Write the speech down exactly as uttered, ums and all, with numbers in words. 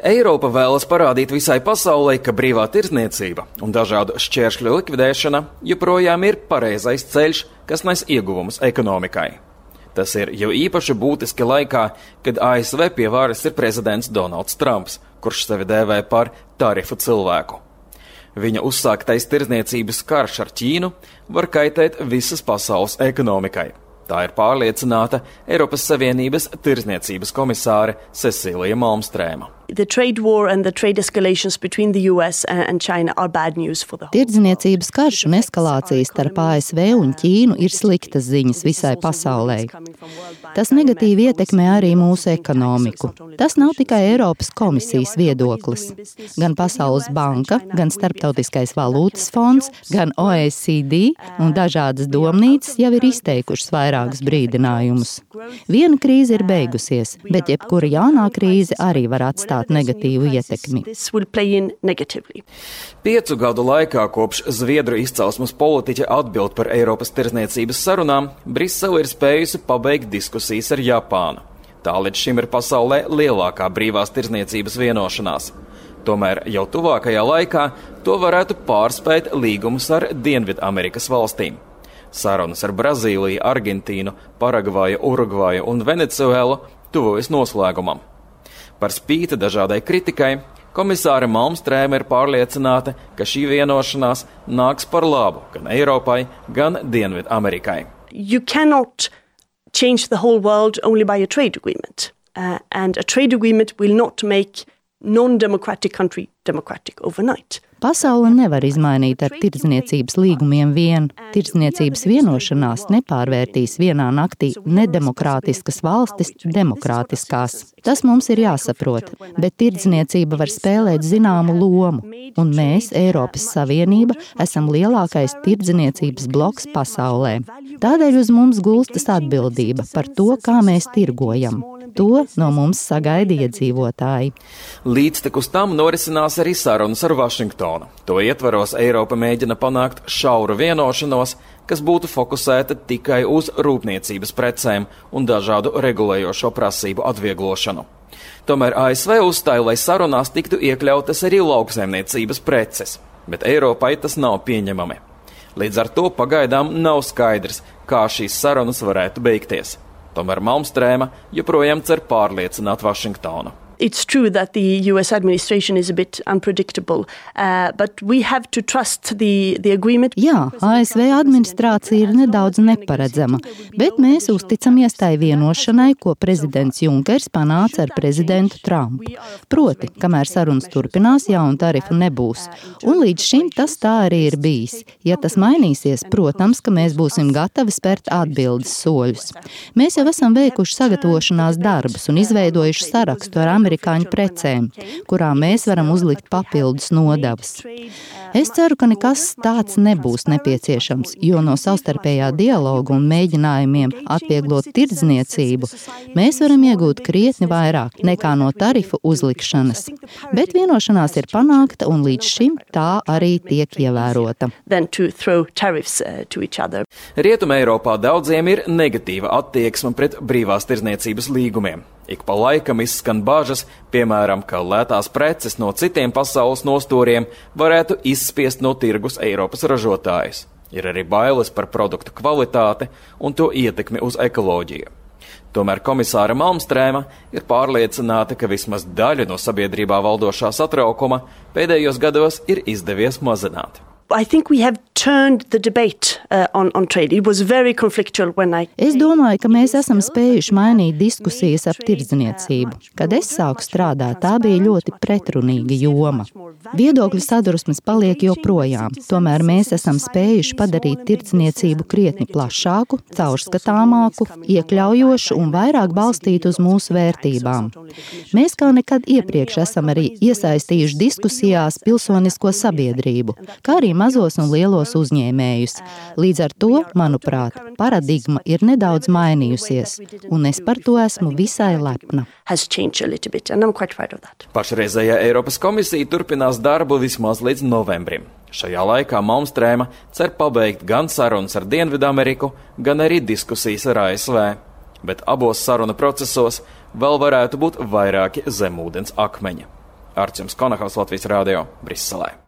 Eiropa vēlas parādīt visai pasaulē, ka brīvā tirdzniecība un dažādu šķēršļu likvidēšana joprojām ir pareizais ceļš, kas nes ieguvumus ekonomikai. Tas ir jau īpaši būtiski laikā, kad A S V pie varas ir prezidents Donalds Trumps, kurš sevi dēvē par tarifu cilvēku. Viņa uzsāktais tirdzniecības karš ar Ķīnu var kaitēt visas pasaules ekonomikai. Tā ir pārliecināta Eiropas Savienības tirdzniecības komisāre Cecilija Malmstrēma. Tirdzniecības karš un eskalācijas starp A S V un Ķīnu ir sliktas ziņas visai pasaulē. Tas negatīvi ietekmē arī mūsu ekonomiku. Tas nav tikai Eiropas komisijas viedoklis. Gan Pasaules banka, gan Starptautiskais valūtas fonds, gan O E C D un dažādas domnīcas jau ir izteikušas vairākus brīdinājumus. Viena krīze ir beigusies, bet jebkura jaunā krīze arī var atstāt negatīvu ietekmi. Piecu gadu laikā, kopš Zviedru izcelsmes politiķa atbild par Eiropas tirdzniecības sarunām, Brisele ir spējusi pabeigt diskusijas ar Japānu. Tā līdz šim ir pasaulē lielākā brīvās tirdzniecības vienošanās. Tomēr jau tuvākajā laikā to varētu pārspēt līgumus ar Dienvidamerikas valstīm. Sarunas ar Brazīliju, Argentīnu, Paragvaju, Urugvaju un Venecuēlu tuvojas noslēgumam. Par spīti dažādai kritikai, komisāre Malmstrēma ir pārliecināta, ka šī vienošanās nāks par labu gan Eiropai, gan Dienvidamerikai. You cannot change the whole world only by a trade agreement. Uh, and a trade agreement will not make non-democratic country democratic overnight. Pasaule nevar izmainīt ar tirdzniecības līgumiem vien. Tirdzniecības vienošanās nepārvērtīs vienā naktī nedemokrātiskas valstis demokrātiskās. Tas mums ir jāsaprot, bet tirdzniecība var spēlēt zināmu lomu, un mēs, Eiropas Savienība, esam lielākais tirdzniecības bloks pasaulē. Tādēļ uz mums gulstas atbildība par to, kā mēs tirgojam. To no mums sagaida iedzīvotāji. Līdztekus tam norisinās arī sarunas ar Vašingtonu. To ietvaros Eiropa mēģina panākt šauru vienošanos, kas būtu fokusēta tikai uz rūpniecības precēm un dažādu regulējošo prasību atvieglošanu. Tomēr A S V uzstāja, lai sarunās tiktu iekļautas arī lauksaimniecības preces, bet Eiropai tas nav pieņemami. Līdz ar to pagaidām nav skaidrs, kā šīs sarunas varētu beigties. Tomēr Malmstrēma joprojām cer pārliecināt Vašingtonu. It's true that the U S administration is a bit unpredictable, uh, but we have to trust the, the agreement. Jā, A S V administrācija ir nedaudz neparedzama, bet mēs uzticamies tai vienošanai, ko prezidents Junkers panāca ar prezidentu Trumpu. Proti, kamēr sarunas turpinās, jaunu tarifu nebūs. Un līdz šim tas tā arī ir bijis. Ja tas mainīsies, protams, ka mēs būsim gatavi spērt atbildes soļus. Mēs jau esam veikuši sagatavošanās darbus un izveidojuši sarakstu ar amerikāņu precēm, kurām mēs varam uzlikt papildus nodevas. Es ceru, ka nekas tāds nebūs nepieciešams, jo no savstarpējā dialoga un mēģinājumiem atvieglot tirdzniecību mēs varam iegūt krietni vairāk nekā no tarifu uzlikšanas. Bet vienošanās ir panākta un līdz šim tā arī tiek ievērota. Rietumē Eiropā daudziem ir negatīva attieksme pret brīvās tirdzniecības līgumiem. Ik pa laikam izskan bažas, piemēram, ka lētās preces no citiem pasaules nostūriem varētu izspiest no tirgus Eiropas ražotājus. Ir arī bailes par produktu kvalitāti un to ietekmi uz ekoloģiju. Tomēr komisāra Malmstrēma ir pārliecināta, ka vismaz daļu no sabiedrībā valdošā satraukuma pēdējos gados ir izdevies mazināt. I think we have turned the debate uh, on, on trade. It was very conflictual when I... Es domāju, ka mēs esam spējuši mainīt diskusijas ap tirdzniecību. Kad es sāku strādāt, tā bija ļoti pretrunīga joma. Viedokļu sadurusmes paliek joprojām, tomēr mēs esam spējuši padarīt tirdzniecību krietni plašāku, caurskatāmāku, iekļaujošu un vairāk balstītu uz mūsu vērtībām. Mēs kā nekad iepriekš esam arī iesaistījuši diskusijās pilsonisko sabiedrību, kā arī mazos un lielos uzņēmējus. Līdz ar to, manuprāt, paradigma ir nedaudz mainījusies, un es par to esmu visai lepna. Pašreizējā Eiropas komisija turpinās darbu vismaz līdz novembrim. Šajā laikā Malmstrēma cer pabeigt gan sarunas ar Dienvidameriku, gan arī diskusijas ar A S V. Bet abos sarunu procesos vēl varētu būt vairāki zemūdens akmeņi. Arčuns Konahaus, Latvijas Rādio, Briselē.